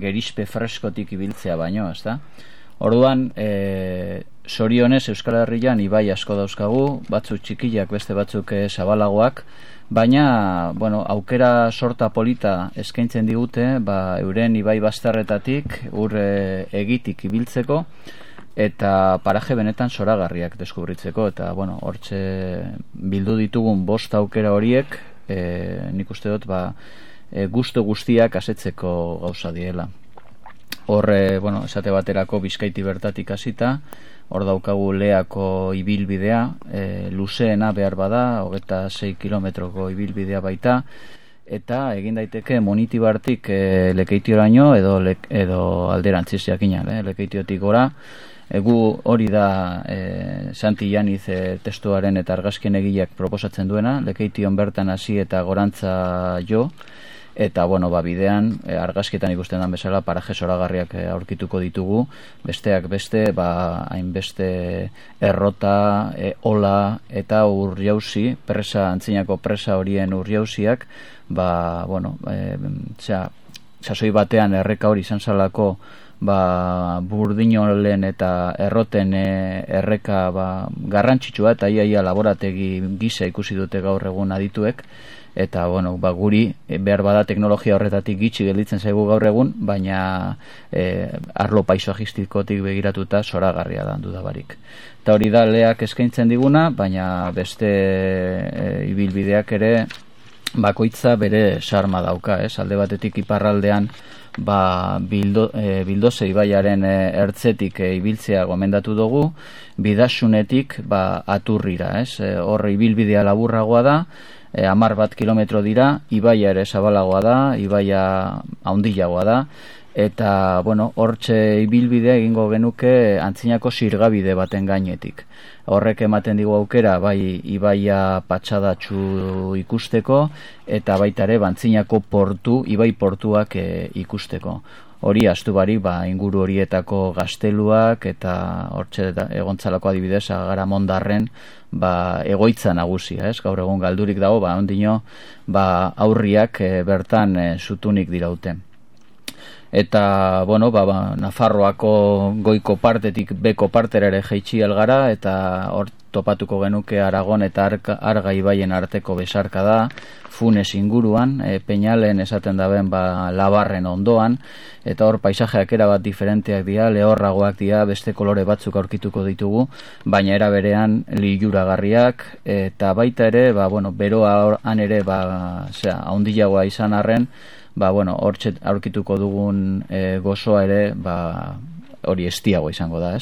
gerispe freskotik ibiltzea baino, ezta? Orduan, sorionez Euskal Herrian ibai asko dauzkagu, batzuk txikiak, beste batzuk zabalagoak, baina, aukera sorta polita eskaintzen digute, euren ibai bazterretatik, egitik ibiltzeko, eta paraje benetan zoragarriak deskubritzeko, eta, hortxe bildu ditugun 5 aukera horiek, nik uste dut, gustu guztiak asetzeko gauza diela. Hor, esate baterako Bizkaiti bertatik hasita, hor daukagu Leako ibilbidea, luzeena behar bada, 26 kilometroko ibilbidea baita, eta egin daiteke Monitibartik Lekeitioraino edo alderantziz jakina, Lekeitiotik gora. Gu hori da Santi Janiz testuaren eta argazkien egileak proposatzen duena, Lekeition bertan hasi eta gorantza jo, eta bidean argazkietan ikusten den bezala paraje zoragarriak aurkituko ditugu, besteak beste hainbeste errota, ola eta urjauzi, antzinako presa horien urjauziak, sasoi batean erreka hori izan zalako burdinolen eta erroten erreka garrantzitsua, eta iaia laborategi gisa ikusi dute gaur egun adituek, eta guri behar bada teknologia horretatik gitxi gelditzen zaigu gaur egun, baina arlo paisajistikotik begiratuta zoragarria da dudabarik. Eta hori da Leak eskaintzen diguna, baina beste ibilbideak ere bakoitza bere sarma dauka, alde batetik iparraldean Bildoze ibaiaren ertzetik ibiltzea gomendatu dugu, Bidasunetik Aturrira, hor ibilbidea laburragoa da, 10 kilometro dira, ibaia ere zabalagoa da, ibaia haundilagoa da, eta hortxe ibilbidea egingo genuke antzinako zirgabide baten gainetik. Horrek ematen digu aukera ibaia patxadatxu ikusteko, eta baita ere antzinako ibai portuak ikusteko. Hori astu barik inguru horietako gazteluak, eta hortxe egontzalako adibidez Agaramondarren egoitza nagusia, gaur egun galdurik dago, ondino aurriak bertan zutunik dirauten. Eta, Nafarroako goiko partetik beko partera ere jaitsi algara, eta hor topatuko genuke Aragon eta Arga ibaien arteko besarka da, Funes inguruan, Peñalen esaten daben Labarren ondoan, eta hor paisajeak erabat diferenteak dira, lehorragoak dira, beste kolore batzuk aurkituko ditugu, baina era berean liluragarriak, eta baita ere, beroa han ere, haundilagoa izan arren, hortxe aurkituko dugun gozoa ere, hori estiago izango da,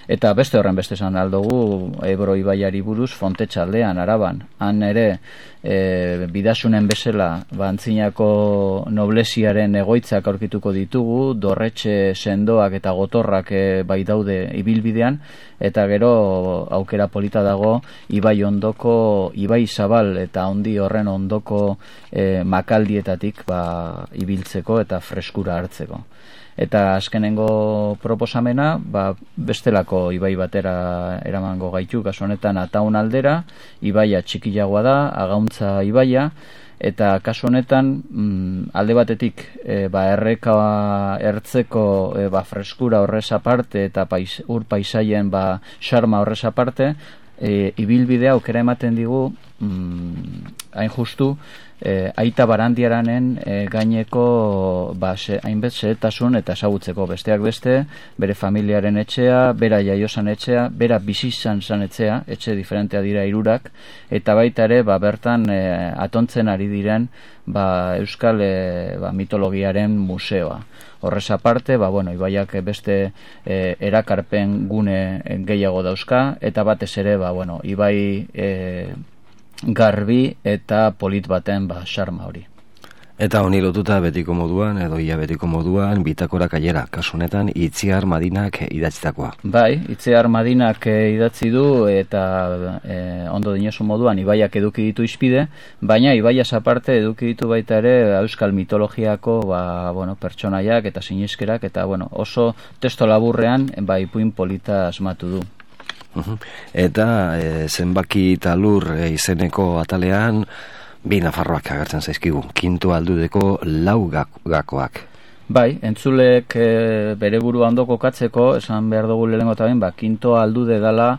Eta beste horren beste esan aldugu, Ebro ibaiari buruz, Fontetxaldean, Araban, han ere, Bidasunen bezala, antzinako noblesiaren egoitzak aurkituko ditugu, dorretxe sendoak eta gotorrak daude ibilbidean, eta gero aukera polita dago, ibai ondoko, ibai zabal eta handi horren ondoko makaldietatik ibiltzeko eta freskura hartzeko. Eta azkenengo proposamena, bestelako ibai batera eramango gaitu, kasu honetan Ataun aldera, ibaia txikiagoa da, Agauntza ibaia, eta kasu honetan alde batetik erreka ertzeko freskura horrez aparte eta ur paisaien xarma horrez aparte, ibilbidea aukera ematen digu hain justu Aita Barandiaranen gaineko hainbet xehetasun eta ezagutzeko, besteak beste, bere familiaren etxea, bera jaiosan etxea, bera bizizan zan etxea, etxe diferentea dira 3, eta baita ere bertan atontzen ari diren euskal mitologiaren museoa. Horrez aparte, ibaiak beste erakarpen gune gehiago dauzka, eta batez ere, ibai garbi eta polit baten xarma hori. Eta honi lotuta betiko moduan, edo ia betiko moduan, bitakora kaiera, kasunetan Itziar Madinak idatzitakoa. Bai, Itziar Madinak idatzi du, eta ondo dinosu moduan, ibaiak eduki ditu izpide, baina ibaiaz aparte eduki ditu baita ere euskal mitologiako pertsonaiak eta siniskerak, eta oso testo laburrean ipuin polita asmatu du. Eta zenbaki talur izeneko atalean 2 Nafarroak agertzen zaizkigu, 5. aldudeko 4 gakoak. Bai, entzulek bere burua ondo kokatzeko, esan behar dugu lehenengo eta behin, kinto aldude dela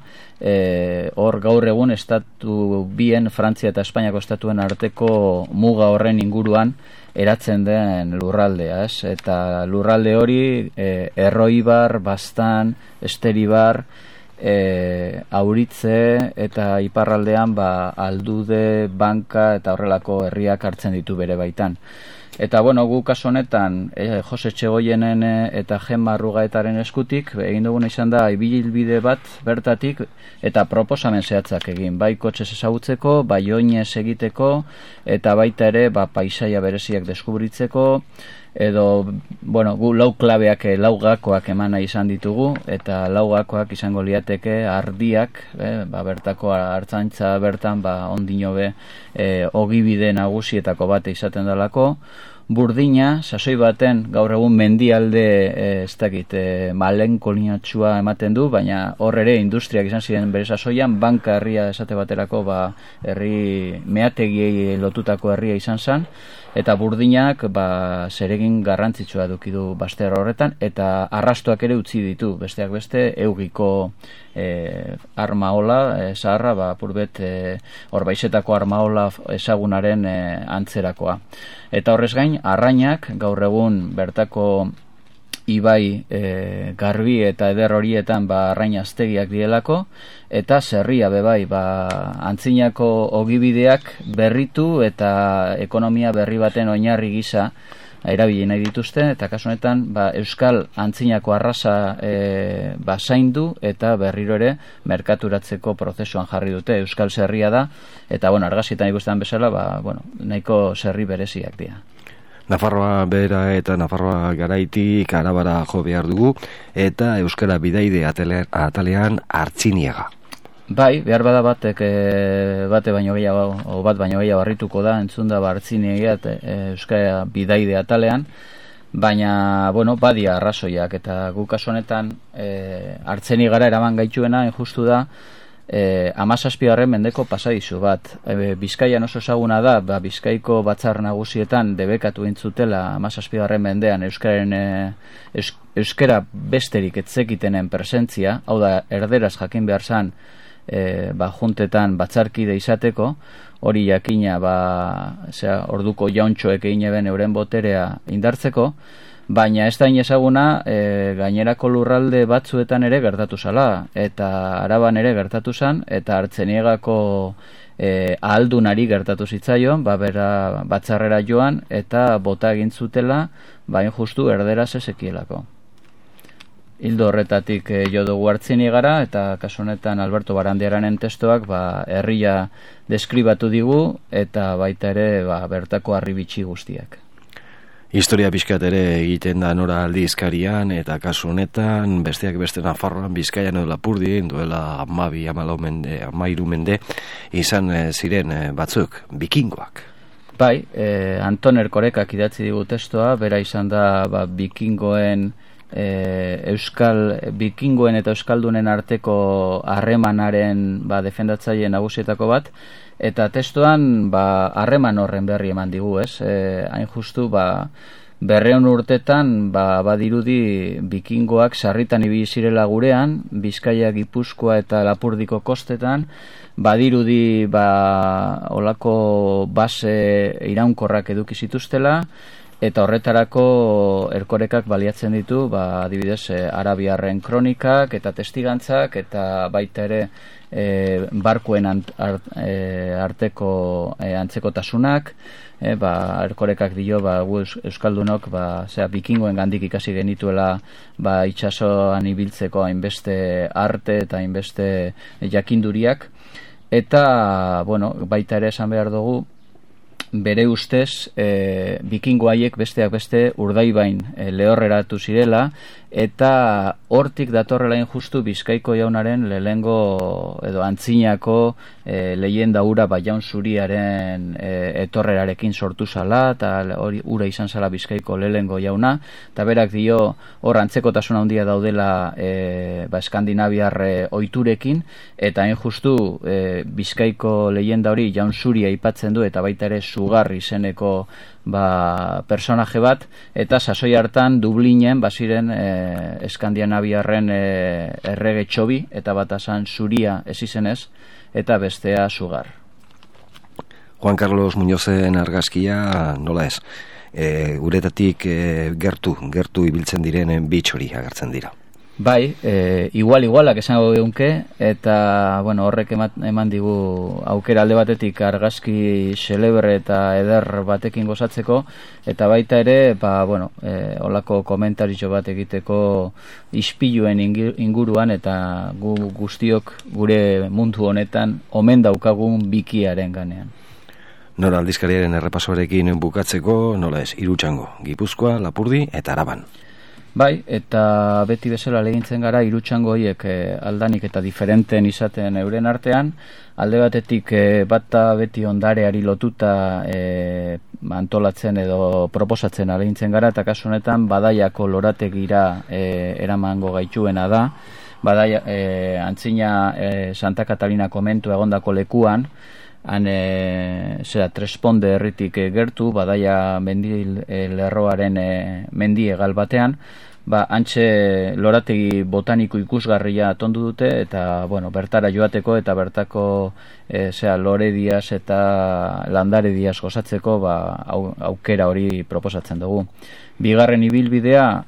hor gaur egun estatu bien, Frantzia eta Espainiako estatuen arteko muga horren inguruan eratzen den lurraldea, ez? Eta lurralde hori Erroibar, Baztan, Esteribar, Auritze eta iparraldean aldude, banka eta horrelako herriak hartzen ditu bere baitan. Eta gu kasu honetan Jose Txegoienen eta Gemma Arrugaetaren eskutik egin duguna izan da ibilbide bat bertatik eta proposamen zehatzak egin, bai kotxez ezagutzeko, bai oinez egiteko eta baita ere paisaia bereziak deskubritzeko, edo gu lau klabeak, lau gakoak eman nahi izan ditugu, eta lau gakoak izango liateke ardiak, bertako hartzantza bertan ondino be ogibide nagusietako bate izaten dalako, Burdina, sasoi baten gaur egun mendialde malenkolinatxua ematen du, baina hor ere industriak izan ziren bere sasoian, banka herria esate baterako herri meategiei lotutako herria izan zen, eta Burdinak zeregin garrantzitsua eduki du bazter horretan, eta arrastoak ere utzi ditu, besteak beste eugiko armaola zaharra, apurbet horbaizetako armaola ezagunaren antzerakoa. Eta horrez gain, Arrainak gaur egun bertako ibai garbi eta eder horietan Arrain aztegiak dielako, eta zerria bebai antzinako ogibideak berritu eta ekonomia berri baten oinarri gisa erabili nahi dituzte, eta kasu honetan euskal antzinako arrasa zaindu eta berriro ere merkaturatzeko prozesuan jarri dute. Euskal zerria da, eta argazietan ikusten bezala nahiko zerri bereziak dira. Nafarroa bera eta Nafarroa garaitik Arabara jo behar dugu, eta euskara bidaide atalean Artziniega. Bai, behar bada bate baino gehiago, bat baino gehiago harrituko da, entzun da Artziniega euskara bidaide atalean, baina, badia arrazoiak, eta guk kasu honetan Artziniegara eraman gaituena, justu da, 17. mendeko pasadizu bat. Bizkaian oso ezaguna da, Bizkaiko batzar nagusietan debekatu intzutela 17. mendean euskara besterik etzekitenen presentzia, hau da, erderaz jakin behar zan juntetan batzarkide izateko, hori jakina orduko jauntxoek egin eben euren boterea indartzeko, baina ez da inezaguna gainerako lurralde batzuetan ere gertatu zala, eta Araban ere gertatu zan, eta Artziniegako ahaldunari gertatu zitzaion, bera batzarrera joan, eta bota egin zutela, bain justu erderaz ezekielako. Hildo horretatik jo dugu Artziniegara, eta kasu honetan Alberto Barandiaranen testoak herria deskribatu digu, eta baita ere bertako harribitxi guztiak. Historia pixkat ere egiten da Nora aldizkarian, eta kasu honetan besteak beste Nafarroan, Bizkaian edo Lapurdin duela 13 mende izan ziren batzuk, bikingoak. Bai, Anton Erkorekak idatzi digu testoa, bera izan da bikingoen bikingoen eta euskaldunen arteko harremanaren defendatzaile nagusietako bat, eta testuan harreman horren berri eman digu, ez? Hain justu 200 urtetan badirudi bikingoak sarritan ibili zirela gurean, Bizkaia, Gipuzkoa eta Lapurdiko kostetan, badirudi olako base iraunkorrak eduki zituztela, eta horretarako Erkorekak baliatzen ditu, adibidez, arabiarren kronikak eta testigantzak, eta baita ere barkuen arteko antzekotasunak, Erkorekak dio, gu euskaldunok bikingoen gandik ikasi genituela itsasoan ibiltzeko hainbeste arte eta hainbeste jakinduriak, eta baita ere esan behar dugu, bere ustez bikingo haiek besteak beste Urdaibain lehorreratu zirela, eta hortik datorrela justu Bizkaiko jaunaren lehengo edo antzinako leyenda ura jaun zuriaren etorrerarekin sortu zala, eta hori ura izan zala Bizkaiko lehengo jauna, eta berak dio hor antzekotasun handia daudela Eskandinaviar ohiturekin, eta hain justu Bizkaiko leyenda hori jaun zuria aipatzen du, eta baita ere Sugar izeneko personaje bat, eta sasoi hartan Dublinen baziren Eskandinaviarren errege txobi, eta bat asan zuria ez izenez, eta bestea sugar. Juan Carlos Muñozen argazkia nola ez? Uretatik gertu ibiltzen direnen bitxori agertzen dira. Bai, igualak esango geunke, eta horrek eman digu aukera alde batetik argazki xelebre eta eder batekin gozatzeko, eta baita ere, holako komentaritxo bat egiteko ispiluen inguruan, eta gu guztiok gure mundu honetan omen daukagun bikiaren ganean. Nora aldizkariaren errepasoarekin bukatzeko, nola ez, Irutxango, Gipuzkoa, Lapurdi eta Araban. Bai, eta beti bezala legintzen gara Irutxango horiek aldanik eta diferenten izaten euren artean, alde batetik bata beti ondareari lotuta antolatzen edo proposatzen alegintzen gara, eta kasu honetan Badaiako lorategira eramango gaituena da, antzina Santa Katalina komentu egondako lekuan, han Tresponde herritik gertu, Badaia lerroaren mendi egal batean, hantxe lorategi botaniko ikusgarria tondu dute, eta bertara joateko eta bertako lore diaz eta landare diaz gozatzeko aukera hori proposatzen dugu. Bigarren ibilbidea,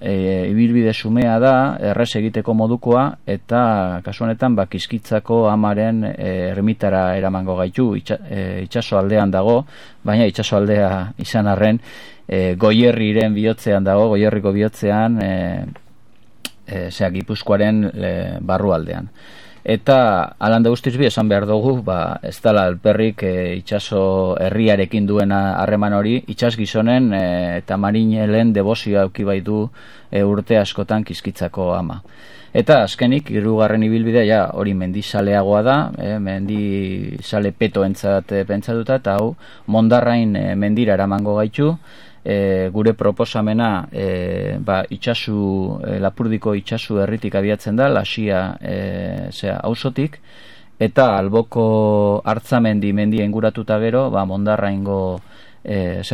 ibilbide xumea da, errez egiteko modukoa, eta kasu honetan Kiskitzako amaren ermitara eramango gaitu, itsaso aldean dago, baina itsaso aldea izan arren, Goierriren bihotzean dago, Goierriko bihotzean, Gipuzkoaren barrualdean. Eta alanda guztiz bi esan behar dugu, ez dala alperrik itsaso herriarekin duen harreman hori, itsas gizonen eta marinelen debozioa auki bai du urte askotan Kiskitzako ama. Eta azkenik, hirugarren ibilbidea hori mendizaleagoa da, mendizale petoentzat pentsatuta, eta hau Mondarrain mendira eramango gaitu, gure proposamena Lapurdiko itsasu herritik abiatzen da, Lasia auzotik, eta Alboko Artzamendi mendia inguratuta gero, Mondarraingo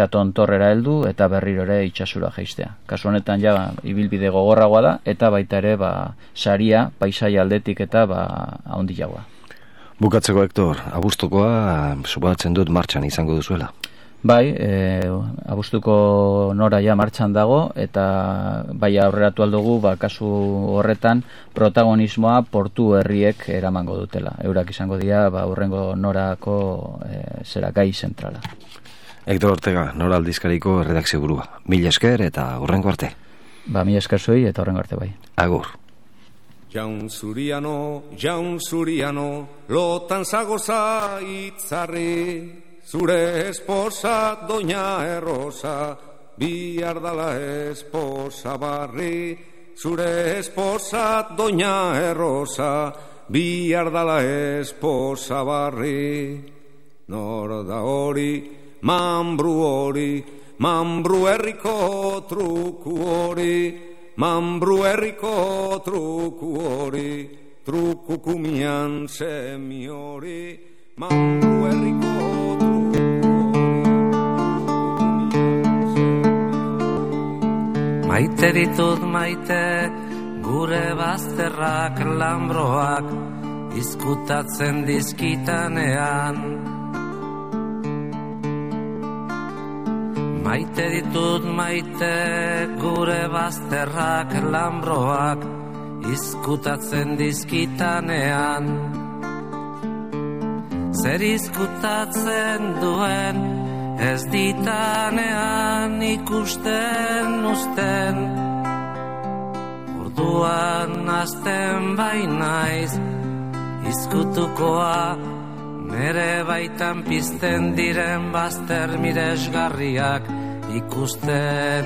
tontorrera heldu eta berriro ere itsasura jaistea. Kasu honetan ibilbide gogorragoa da, eta baita ere saria, paisaia aldetik eta handiagoa. Bukatzeko, Hector, abuztukoa suposatzen dut martxan izango duzuela. Bai, abuztuko nora martxan dago, eta aurreratu aldugu, kasu horretan protagonismoa portu herriek eramango dutela. Eurak izango dira, hurrengo norako gai zentrala. Hector Ortega, Nora aldizkariko redakzio burua. Mila esker eta hurrengo arte. Mila esker zuei eta hurrengo arte bai. Agur. Jaun zuriano, lotan zagoza itzarri, zure esposa doña Errosa, bihar dala esposa barri, zure esposa doña Errosa, bihar dala esposa barri. Nor da hori, Mambru herriko truku hori, Mambru herriko truku hori, truku kumian semi hori, Mambru herriko truku hori. Maite ditut maite, gure bazterrak lambroak, izkutatzen dizkitanean. Maite ditut maite, gure bazterrak lambroak, izkutatzen dizkitanean. Zer izkutatzen duen, ez ditanean ikusten uzten. Orduan azten bainaiz, izkutukoa, nere baitan pizten diren bazter miresgarriak ikusten.